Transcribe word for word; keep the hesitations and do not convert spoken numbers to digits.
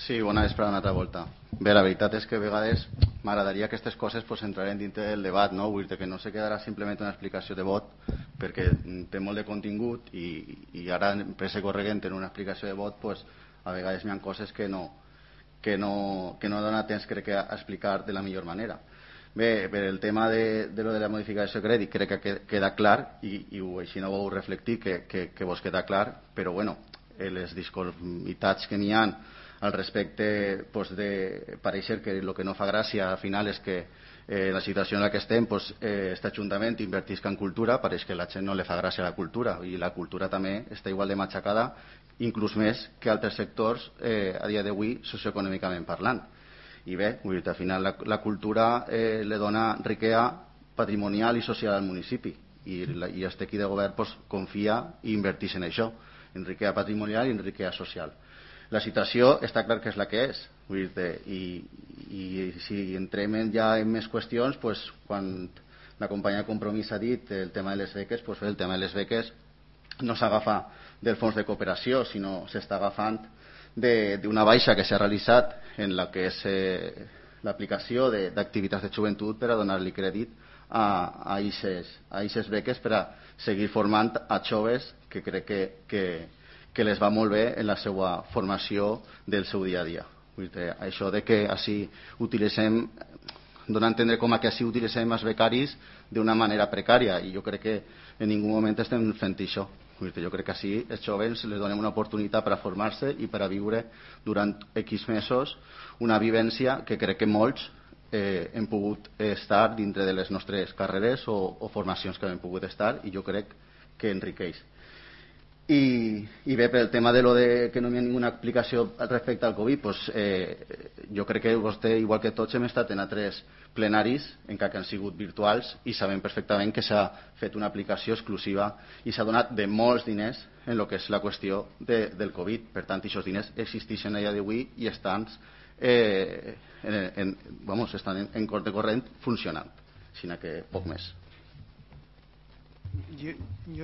Sí, bona vesprada una altra volta. Bé, la veritat és que a vegades m'agradaria que aquestes coses pues, entraren dintre del debat, no? Vull dir que no se quedarà simplement una explicació de vot, perquè té molt de contingut i, i ara en pressa corregent en una explicació de vot pues, a vegades hi ha coses que no, que no, que no dona temps crec que a explicar de la millor manera. Bé, per el tema de, de lo de la modificació de crèdit crec que queda clar i, i així no vau reflectir que, que, que vos queda clar, però bueno, les disconformitats que n'hi ha al respecte pues, de pareixer que el que no fa gràcia al final és que eh, la situació en la que estem pues, eh, este Ajuntament invertisca en cultura, pareix que a la gent no li fa gràcia la cultura i la cultura també està igual de matxacada, inclús més que altres sectors eh, a dia d'avui socioeconòmicament parlant. I bé, vull dir, al final la, la cultura eh, le dona riquesa patrimonial i social al municipi i, la, i este equip de govern pues, confia i inverteix en això, en riquesa patrimonial i en riquesa social. La situació està clar que és la que és, vull dir, i, i si entrem ja en més qüestions, pues, quan la companya Compromís ha dit el tema de les beques, pues, el tema de les beques no s'agafa del fons de cooperació, sinó s'està agafant d'una baixa que s'ha realitzat en la que és eh, l'aplicació d'activitats de, de joventut per a donar-li crèdit a aquestes beques per a seguir formant a joves que crec que, que, que les va molt bé en la seva formació del seu dia a dia. Vull dir, això de que així utilitzem, dona a entendre com a que així utilitzem els becaris d'una manera precària i jo crec que en ningú moment estem fent això. Jo crec que així els joves les donem una oportunitat per a formar-se i per a viure durant X mesos una vivència que crec que molts eh, hem pogut estar dintre de les nostres carreres o, o formacions que hem pogut estar i jo crec que enriqueix. I, i bé, pel tema de lo de que no hi ha ninguna explicació respecte al Covid, pues, eh, jo crec que vostè, igual que tots, hem estat en altres plenaris, encara que han sigut virtuals, i sabem perfectament que s'ha fet una aplicació exclusiva i s'ha donat de molts diners en el que és la qüestió de, del Covid. Per tant, aquests diners existeixen a dia d'avui i estan, eh, en, en, vamos, estan en, en corte corrent funcionant, sinó que poc més. Jo, jo